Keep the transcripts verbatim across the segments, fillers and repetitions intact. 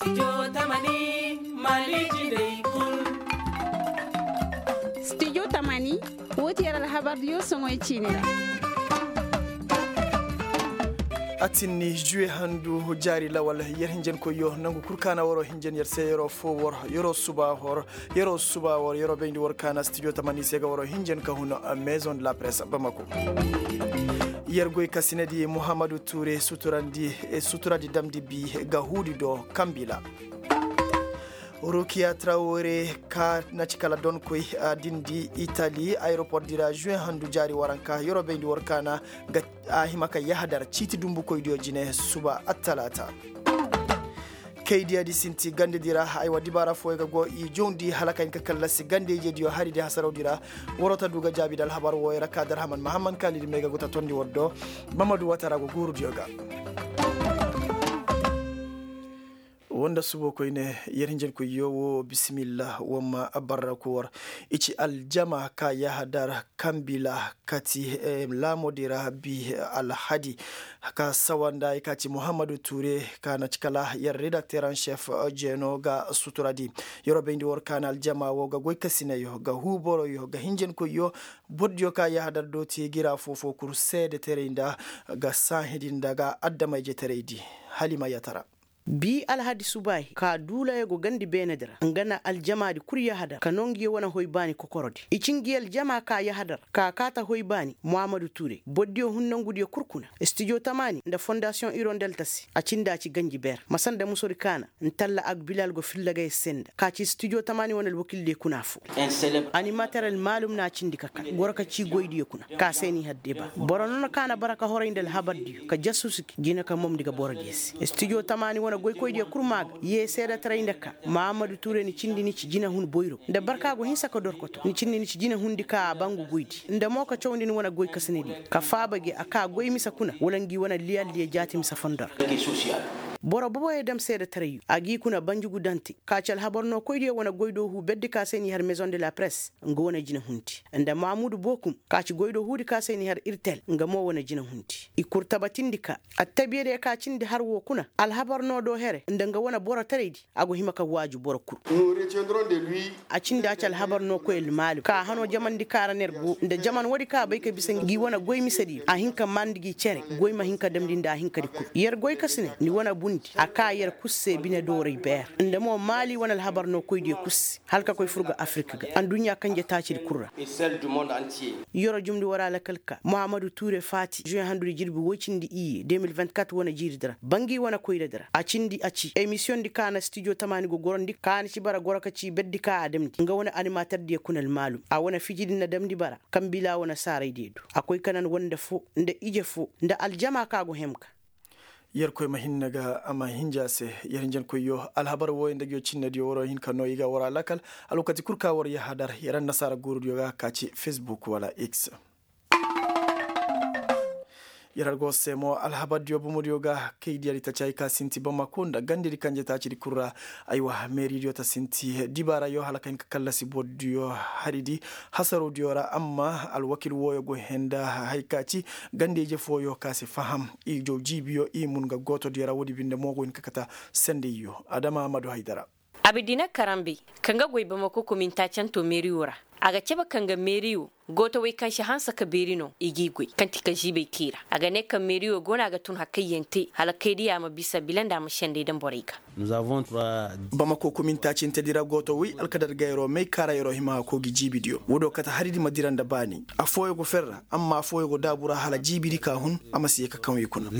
Studio tamani, woo ti yer alhabardiyo soŋoy ciini ra. A tinni juwe handu jaari lawal, yer hinjankoyyo nangu kul kaana waroo hinjan yer se yeroo foo war, yeroo suba war, yeroo suba war yeroo bayndi war kaana studio tamani se ga waroo hinjan ka hun maison de la presse bamako. Yer goy kasinadi muhammadu ture suturandi, suturadi damndi bi ga huudi do kambila. Rukiya trawore ka na ci kala donkoy, a dindi itali aeroport di ra juwe handu jaari waranka yeroo bayndi war kaana ga a hima ka yahadar ciiti dumbukoydiyo jine suba attalaata. Kaydiyadi sinti gandedi ra, aywa dibaara fooyo ga go i jawndi hala ka hin ka kallasi gandeyjediyo haridi hasarawdi ra. Waroo ta du ga jaabi nda alhabar wooyo ra ka darhaman mahamman kaalidi may ga go ta tondi war do. Mamadu watara go guurudiyo ga. Woo nda subo koyne, yer hinjankoyyo woo bisimilla woo ma barraku war. I ci aljama ka yahadar kambila kati laamodi ra bi alhadi ka sawa nda i ka ci muhammadu ture ka na ci kala yer redakteran šef jeeno ga suturadi. Yeroo bayndi war kaana aljama woo ga goy kasinayo ga huu boroyo ga hinjankoyyo. Bordiyo ka yahadar dooti gira foofoo kul seedeteray nda ga saahidi nda ga adama-ijeteraydi. Halima yatara. Bi alhadi subaahi ka duulayo go gandi beenedi ra nga na aljamaadi kul yahadar ka noo ngi wane hoy baani kokorodi i ci ngi aljama ka yahadar ka kaa ta hoy baani muhammadu ture bordiyo hun nongudiyo kul kuna. Studio tamaani nda fondasiyoŋ irondel ta se a cindi a ci ganji beer masa nda musodi kaana. Ntalla agbilal go filla ga yer se nda ka ci studio tamaani wane alwakildiyo kuna foo. Animater almaalum na a cindi ka ka goro ka ci goydiyo kuna ka se n'i har deba. Boro noona ka na bara ka horay nda alhabardiyo ka jasusu gi jina ka momndi ga borodiyo se studio tamaani wane goykoydiyo kul maa ga yee seedetaray nda ka mahammadu ture ni cindi ni ci jinahun boyro nda barka go hinsa ka dorkoto ni cindi ni ci jinahundi ka a ba ngu goydi nda mo ka cawndi ni wane goykasinediyo ka faaba gi a ka goy mise kuna wala ngi wane liyalliyo jaati mise fondo ra. Boro boboyo dam seedetarayyo a g'i kuna banjugu dante ka ci alhabar nookoydiyo wane goy do huu berdi ka se n'i har maison de la presse nga wane jinahundi nda mamudu bookum ka ci goy do huudi ka se n'i har irtel nga mo wane jinahundi. I kul tabatindi ka attabiyadiyo ka cindi har woo kuna alhabar noo do here nda nga wane borotaraydi a go hima ka waaju boro kul. A cindi a ci alhabar noo koy almaalim ka a hanoo jamandi ka ra ner go nda jaman woodi ka a bay ka bisa ngi wane goy misediyo a hin ka maandi gi cere goy ma hin ka damndi nda a hinkadi kul yer goy ka si ne ni wane bundi a ka yer kul se bine dooray beer nda mo maali wane alhabar noo koydiyo kul se hala ka koy fur ga afirik ga adduɲɲa kanje taacidi kul ra. Yeroo jumndi war a lakal ka muhammadu tuure faati juwe handudi jirbi woy cindi iyye deux mille vingt-quatre wane jiiridi ra ba ngi wane koyradi ra a cindi a ci emisiyoŋdi ka na stijo tamaani go gorandi ka na ci bara goro ka ci berdi ka a damndi nga wane animaterdiyo kuna almaalum a wane fijidi na damndi bara kaŋ bila wane saaraydiyo du a koy ka nan wande foo nda ije foo nda aljama ka go hem ga. Yerkoy ma hinne ga a ma hinja se. Yer hinjankoyyo alhabar wooyo nda nguyo cinnediyo waroo hin ka noo i ga war a lakal alwakati kul ka war yahadar yer annasaara guurudiyo ga ka ci fesbuk wala x. Yer har go se mo alhabardiyo bomodiyo ga kaydiyadi tacaayi ka sinti bamako nda gandedi kanje taacidi kul ra. Aywa meeridiyo ta sinti dibaarayo hala ka hin ka kallasi bordiyo haridi hasarodiyo ra amma alwakil wooyo go henda hay ka ci gande-ije fooyo ka si faham i jaw jiibiyo i mun ga gootodiyo ra woodi binde mo go hin ka kata sendeyyo adama madu haydara. Abidina karambe kaŋ ga goy bamako kominta canto meeriyo ra a ga cabe kaŋ ga meeriyo gootowey kaŋ si hanse ka beeri no i g'i goy kaŋ ti ka ziibey kay ra a ga ne kaŋ meeriyo go no a ga tun hakayyaŋ te hala kaydiya ma bisa bila nda a ma sendey daŋ borey ga. Bamako kominta cintedi ra gootowey alkadar gayro may kaarayro hima ga koogi jiibidiyo woodiyo kate haridi ma dira nda baani affooyo go ferra amma affooyo go daabu ra hala jiibidi ka hun a ma si ye ka kaŋ i kuna.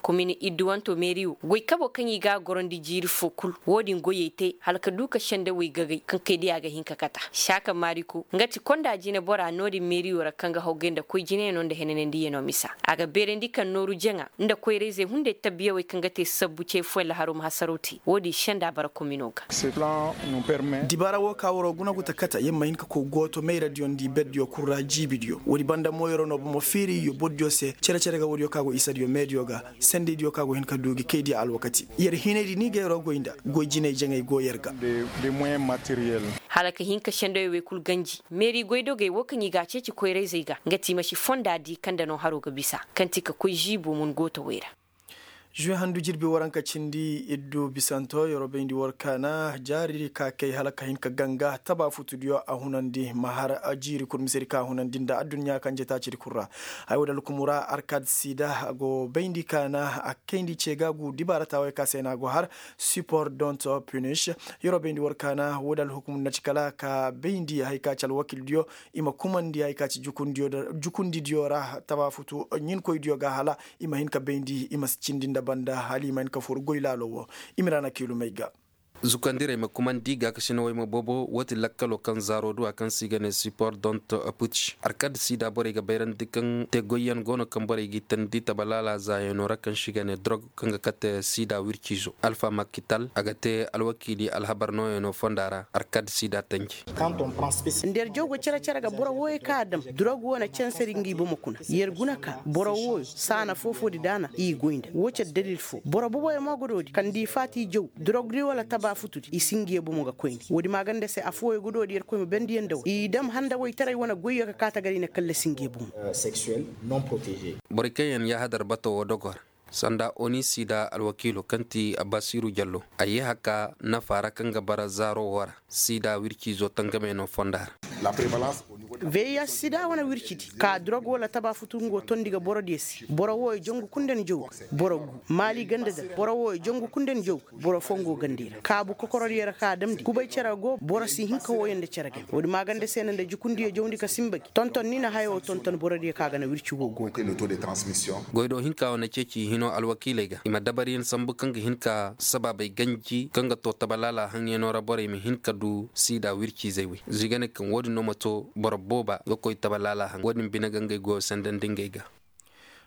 Komin idduwanto meeri wo goy kabo kaŋ i ga a gorandi jiiri foo kul wo-din goyey te hala ka du ka sendewey gagay kaŋ kay diya ga hin ka kata saaka maariko nga ti konda jinebora no-din meeriyo ra kaŋ ga hawgay nda koy jinayano nda henanandiyanoo misa a ga beerandi kaŋ nooru jaŋa nda koyrayzey hunday tabbiyawey kaŋ ga te sabbu cay fooyaŋ laharo ma hasaraw te wo-din senda bara komino ga. Dibaara wo ka waroo guna gu ta kata yer ma hin ka koy gooto mayradiyo nda i berdiyo kul ra jiibidiyo woodi banda mo yeroo no bomo feeri iyo bordiyo se cere-cere ga woodiyo ka go isadiyo meediyo ga sendaydiyo ka go hin ka du gi kaydiya alwakati yer hinaydi ni ga yeroo goy nda goy jinay jaŋay go yer ga. Hala ka hin ka sendayoo wey kul ganji meeri goydogey wo kaŋ i ga a ceeci koyrayzey ga nga ti i ma si fonda di kaŋ nda no haroo ga bisa kaŋ ti ka koy ziibo mun gootowey ra. Zuwe handu jirbi waranka cindi iddu bisanto yeroo bayndi war kaana jaari ka kay hala ka hin ka ganga taba futudiyo a hunandi ma har jiiri kul misedi ka a hunandi nda adduɲɲa kanje taacidi kul ra. Haya wo da alkumu ra arkad sida a go bayndi kaana a kayndi ce ga gu dibaara taawey ka se no a go har sipor don't punish. Yeroo bayndi war kaana wo da alhukumu na ci kala ka bayndi haya ka ci alwakildiyo i ma kumandi haya ka ci jukundidiyo ra taba futu ɲinkoydiyo ga hala i ma hin ka bayndi i ma si cindi nda banda hala i ma hin ka fur goy laalo wo. I ma ra na kiilumey ga. Zukandirey ma kumandi gaakasinawey ma bobo woo ti lakkaloo kaŋ zaaroo du a kaŋ se i ga ne sipor don't putch arkad sida borey ga bayrandi kaŋ te goyyaŋ go no kaŋ borey g'i tandi taba laala zaayanoo ra kaŋ se i ga ne dorog kaŋ ga kate sida wirciizo alfa makital a ga te alwakiili alhabar nooyanoo fonda ra arkad sida tanji. Nda yer jaw ga cere-cere ga boro wooyo kaŋ a dam durog woo na cansari ngi bomo kuna yer guna ka boro wooyo saana foo-foodi daana i goy nda woo ci addalil foo boro boboyo mo ga doodi kaŋ da i faati i jaw durogdi wala taba futudi i si ngi ye bomo ga koyne woodi maaganda se affooyo ga doodi yerkoy ma bendiyaŋ nda war i dam handawaytaray wane goyyo ka kaa tagar i na kallasi ngi ye bomo. Borey kaŋ yaŋ yaahadar bato woo dogo ra sanda oni sida alwakiilo kaŋ ti abbasiiru jallo a yee haka nafa ra kaŋ ga bara zaaro woo ra sida wirciizo tangamey no fonda ra. Veya sida wane wircidi ka durog wala taba futu ngo tondi ga borodiyo se boro wooyo jangu kul nda ni jaw ga boro gu maali ganda da boro wooyo jangu kul nda ni jaw ga boro foo ngo gandi ra kaabu kokorodiyo ra ka a damndi kubay cere go boro si hin ka wooyo nda cere game woodi maaganda se no nda jukundiyo jawndi ka sinba gi tonton ni na haya woo tonton borodiyo ka ga na wirci woo go ga. Goy do hinka woo na ceeci i hinoo alwakiiley ga i ma dabariyaŋ sambu kaŋ ga hin ka sabaabey ganji kaŋ ga too taba laala haŋyanoo ra borey ma hin ka du siida wirciizey wey za i ga ne kaŋ woo din no ma too boro booba ga koy taba laala haŋ woo din bine ga ngey goyoo sendandi ngey ga.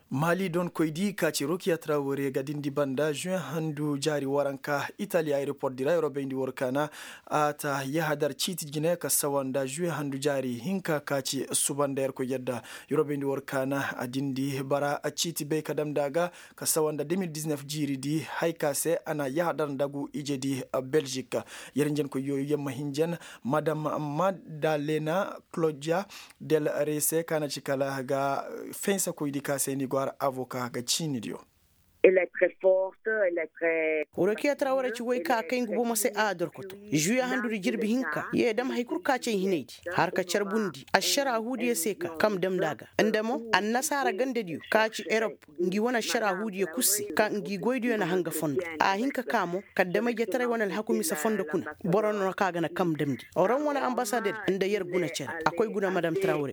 Maali donkoy di ka ci rokiya trawore ga dindi banda zuwe handu jaari waranka itali ayeroport di ra yeroo bayndi war kaana a ta yahadar ciiti jine ka sawa nda zuwe handu jaari hinka ka ci suba nda yerkoy yadda. Yeroo bayndi war kaana a dindi bara ciiti bay ka damndi a ga ka sawa nda de mil diznef jiiri di haya ka se a na yahadar nda gu ije di. Belzik yer njenkoy yooyo yer ma hinjan madam madalena claudia del rey se ka na ci kala ga fensakoydi ka se ni go har avoka ga ciinidiyo. Rokiya traware ci woy ka a kay ngu bomo se a dorkoto. Zuya handudi jirbi hinka yee dam hay kul ka cay hinaydi har ka carbundi ašara huudiyo se ka kam damndi a ga nda mo annasaara gandadiyo ka ci erop ngi wane ašara huudiyo kul se ka ngi goydiyo na hanga fondo a hin ka ka mo kaddamay jetaray wane alhaku mise fondo kuna boro no ka ga na kam damndi oran wane ambasader nda yer guna cere a koy guna madam traware.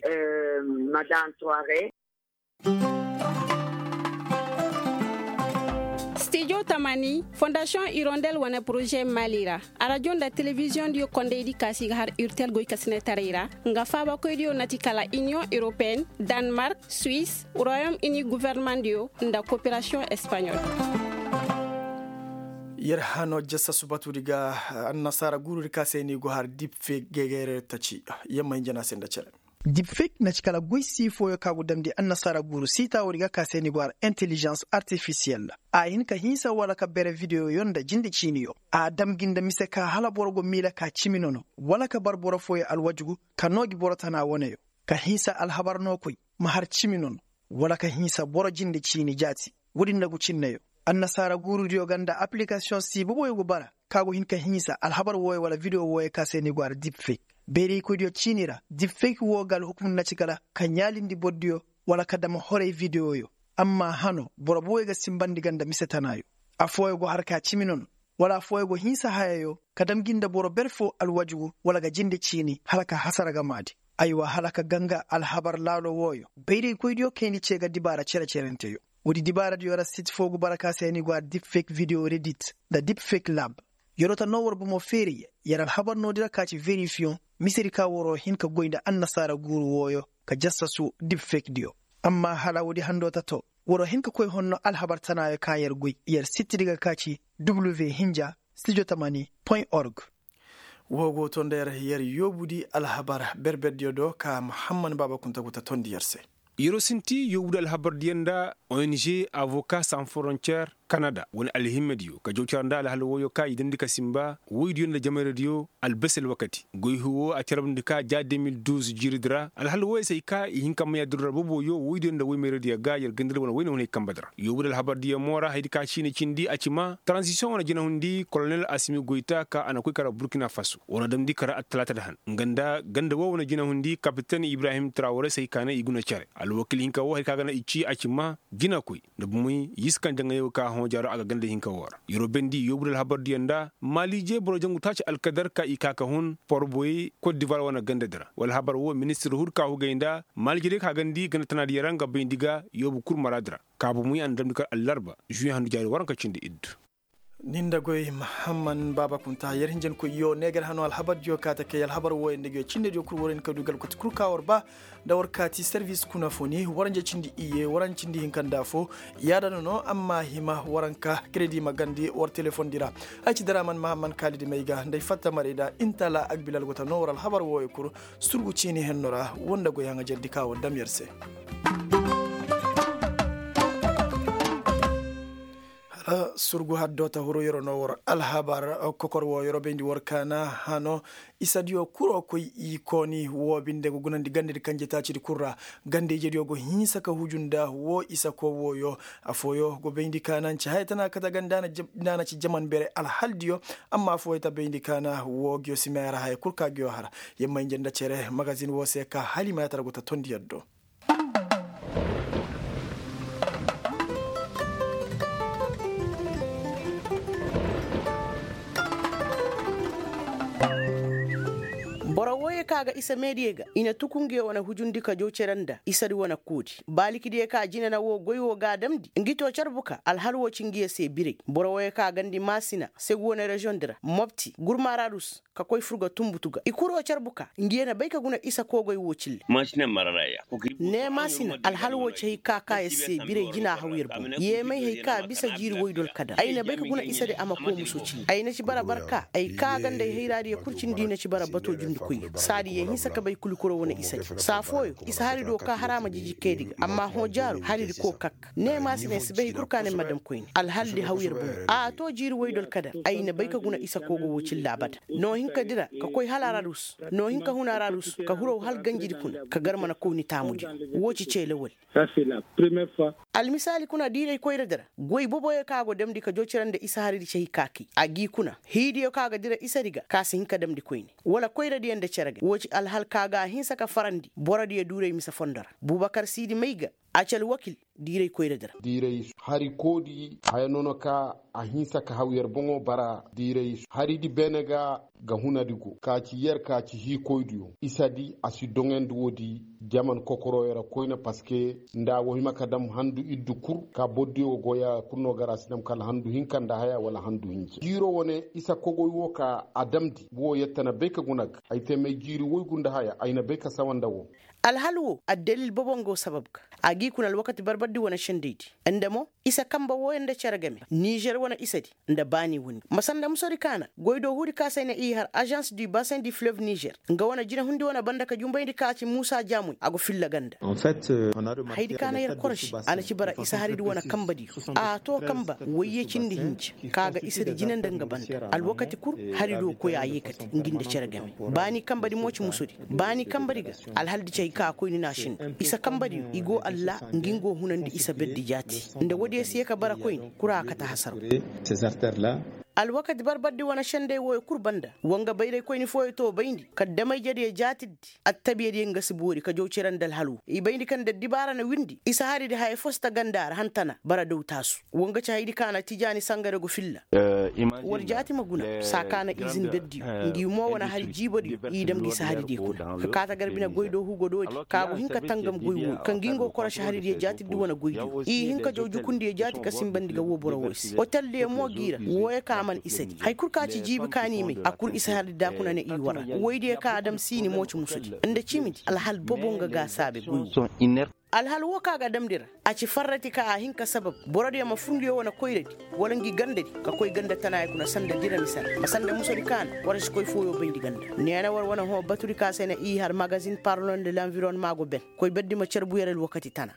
Stijo tamani fondasiyoŋ irondel wane poroze mali ra arajo nda telebiziyoŋ diyo kondaydi kaasi ga har urtel goy kasinetaray ra nga faabakoydiyo na ti kala iniyoŋ europeen, danmark, suis, royom ini guvernemandiyo nda koperasiyoŋ espaɲol. Yer hano jassa subatudi ga annasaara guurudi ka se ni go har dipfe gegeere taci. Yamma hinja na se nda cere. Dipfek na ci kala goy sii fooyo ka go damndi annasaara guuru siita woodi ga ka se ni go har intelijans artifisiyel. A hin ka hinsa wala ka bere videoyo nda jinde ciiniyo a dam gi nda mise ka hala boro go miila ka cimi nono wala ka bar boro fooyo alwajugu ka noo gi boro tana woneyo ka hinsa alhabar nookoy ma har cimi nono wala ka hinsa boro jinde ciini jaati. Woodi nda gu cinneyo annasaara guurudiyo ga nda apilikasiyoŋ sii boboyo go bara ka go hin ka hinsa alhabar wooyo wala videwo wooyo ka se ni go har dipfek. Bayraykoydiyo ciini ra dipfek woo ga alhukum na ci kala ka ɲaalindi bordiyo wala ka dam horay videwoyo. Amma hano boro boboyo ga sinbandi ga nda mise tanaayo. Afooyo go har ka cimi nono wala afooyo go hinsa hayayo ka dam gi nda boro ber foo alwajugu wala ga jinde ciini hala ka hasara ga maadi. Aywa hala ka ganga alhabar laalo wooyo bayraykoydiyo kayndi cee ga dibaara cere-cerenteyo. Woodi dibaaradiyo ra sit foo go bara ka se ni go har dipfek videwo redit nda dipfek lab. Yer wo ta noo war bomo feeri yer alhabar noodi ra ka ci verifiyoŋ misedi ka waroo hin ka goy nda annasaara guuru wooyo ka jassasu dipfekdiyo. Amma hala woodi handoo ta too waroo hin ka koy honno alhabar tanaayo ka yer goy yer sittidi ga ka ci w hinja studio tamani point org. Woo go to nda yer yer yoobudi alhabar berberdiyo do ka muhamman baaba kunta go ta tondi yer se. Yeroo sinti yoobudi alhabardiyo nda ong avoka san forontiyer. Kanada wane alhimmediyo ka jaw cara nda alhal wooyo ka i damndi ka sinba woydiyo nda jamayradiyo. Albasi alwakati goy huu woo a carabndi ka ja de mil duuz jiiridi ra alhal wooyo se ay ka i hin ka may addulla ra boboyo woydiyo nda woymayradiyo ga yer gandadi wane woyne hunay kambadi ra yoobu nda alhabardiyo mo ra hayadi ka ciini cindi a ci maa taranzisiyoŋ wane jinahundi kolonel asimi goyta ka a na koy kara burkina faso war na damndi kara attalaatadi han nga nda ganda woo wane jinahundi kapiten ibrahim traware se ay ka ne i guna cere alwakil hinka woo hayadi ka ga na i ci a ci maa jinakoy nda bumey y'i si kaŋ jaŋayoo ka hõ jaaro a ga ganda hinka woo ra yeroo bendi yoobu nda alhabardiyo nda maaliije boro jangu taaci alkadar ka i ka ka hun porboyey kot divoir wane gandadi ra wala habar woo ministir hur ka hugay nda maaliije day ka gandi ganda tanaadiyo ra nga bayndi ga yoobu kul maraadi ra ka bumey a na damndi kar allarba žuwiye handu jaari waranka cindi iddu. Ni nda goy mahamman baaba kunta yer hinjankoyyo ne gar hano alhabardiyo ka ta kay alhabar wooyo nda goy cinnediyo kul war hin ka du galkoti kul ka war ba nda war kaati servis kuna fo ni waranja cindi iyye waranja cindi hinka nda afo. Yaada no no amma hima waranka kredi ma gandi war telefondi ra. Ay ci daraman mahamman kaalidi may ga nda ay fatta marayda intala agbilal go ta no war alhabar wooyo kul surgu ciini henno ra woo nda goy haŋajerdi ka war dam yer se. Hala surgu haddo ta huru yeroo no war alhabar kokor woo yeroo bayndi war kaana hano isadiyo kuroo koy i kooni woo binde go gunandi gandedi kanje taacidi kul ra ganda ijediyo go hinsa ka huju nda woo isa koo wooyo. Afooyo go bayndi kaana nci haya tana kate ganda na ci jaman bere alhaldiyo. Amma afooyo ta bayndi kaana woo giyo si meera haya kul ka giyo har yamma inje nda cere magazin woo se ka hala i ma yaatara go ta tondi yaddo. Boro wooyey ka ga isa meediyo ga i na tuku ngiyo wane hujundi ka jaw cere nda isadi wane koodi baalikidiyo ka jine na woo goy woo ga a damndi ngi too carbu ka alhal woo ci ngiyo se biray boro wooyey ka gandi maasina segu wane reziyoŋ di ra mopti gurmaararus ka koy fur ga tunbutu ga i kuroo carbu ka ngiyo na bay ka guna isa koogoy woo cille. Ne maasina alhal woo ci hay ka ka yer se biray jina haw yer boŋ yeemay hay ka bisa jiiri woydol kadar ay na bay ka guna isadi a ma koo muso cille ay na ci bara barka ay ka gandey hayraadiyo kul cindi na ci bara bato jundikoyyo saadi yee hinsa ka bay kul i kuroo wane isadi saa fooyo isa haridiyo ka har a ma jiji kaydi ga amma hõ jaaru haridi koo kak ne maasina ay si bay hay kul ka ne ma dam koyne alhaldi haw yer boŋo a too jiiri woydol kadar ay na bay ka guna isa koogo woo cille abada noo hinka dira ka koy hala ararus noo hinka hun ararus ka huraw hala ganjidi kuna ka gar mana kow ni taamudiyo woo ci cee lawal. Almisaali kuna diiray koyradi ra goy boboyo ka go damndi ka joocira nda isa haridi cay ka kay a g'i kuna hiidiyo ka ga dira isadi ga ka si hin ka damndi koyne wala koyradiyo nda cere ga woo ci alhal ka ga a hinsa ka farandi borodiyo duuray mise fondo ra bubakar siidi may ga a ci alwakil diiray koyradi ra. Diiray hari koodi haya nono ka a hinsa ka haw yer boŋo bara diiray haridi beene ga ga hunadi go ka ci yer ka ci hiikoydiyo isadi a si doŋandi woodi jaman kokorooyo ra koyne parceque nda a go hima ka dam handu iddu kul ka bordiyo ga goya kul no gar a si dam kala handu hinka nda haya wala handu hinja jiiro wane isa kogoy wo ka a damndi wo yette na bay ka guna ga ay te may jiiri woygu nda haya ay na bay ka sawa nda wo. Alhal wo addalil bobo nga wo sabab ga a g'i kuna alwakati barbardi wane sendaydi nda mo isa kamba wooyo nda cere game nizer wane isadi nda baani windi ma sanda musodi kaana goy do huudi ka se ay na i har agence du bassin du fleuve nizer nga wane jinahundi wane banda ka jumbayndi ka ci muusa jaamuy a go filla ganda. Haydi ka na yer koroši a na ci bara isa haridi wane kambadiyo a too kamba wayye cindi hinja ka ga isadi jina nda nga banda alwakati kul haridi wo koy a yeekate ngi nda cere game baani kambadi mo ci musodi baani kambadi ga alhaldi ci hay ka koyni na a sinda isa kambadiyo i go alla ngi nga wo hunandi isa berdi jaati nda woodiyo si ye ka bara koyni kul a kate hasaraw. Alwakati barbardi wane senday wooyo kul banda wa nga bayray koyni fooyo too bayndi ka damayjediyo jaatiddi attabiyadiyo nga si boori ka jaw cere nda alhal wo i bayndi kaŋ da addibaara na windi isa haridi haya fo si ta ganda ra han tana bara daw taasu wa nga ci hayadi ka na tijaani sangare go filla. War jaati ma guna saa ka na izin berdiyo ngi mo wane hari jiibodiyo i dam ngi si haridiyo kuna ka kaata gar bine goy do hugo doodi ka go hin ka tangam goy wooyo ka ngi nga korosi haridiyo jaatiddi wane goydiyo i hin ka jaw jukundiyo jaati ka sinbandi ga woo boro wooyo se oteldiyo mo g'i ra wooyo ka man isadi hari kul ka ci jiibi ka n'i may a kul isa haridi da kuna ne i war ra woydiyo ka a dam siini mo ci musudi nda cimidi alhal bobo nga ga a saabe goy woo. Alhal woo ka ga damndi ra a ci farrati ka a hin ka sabab borodiyo ma fur ngiyo wane koyradi wala ngi gandadi ka koy ganda tanaayo kuna sanda dira mise ra ma sanda musodi kaana war si koy fooyo bayndi ganda neena war wane hõ batudi ka se na i har magazin parlon de l'environnement go ben koy berdi ma carbu yer alwakati tana.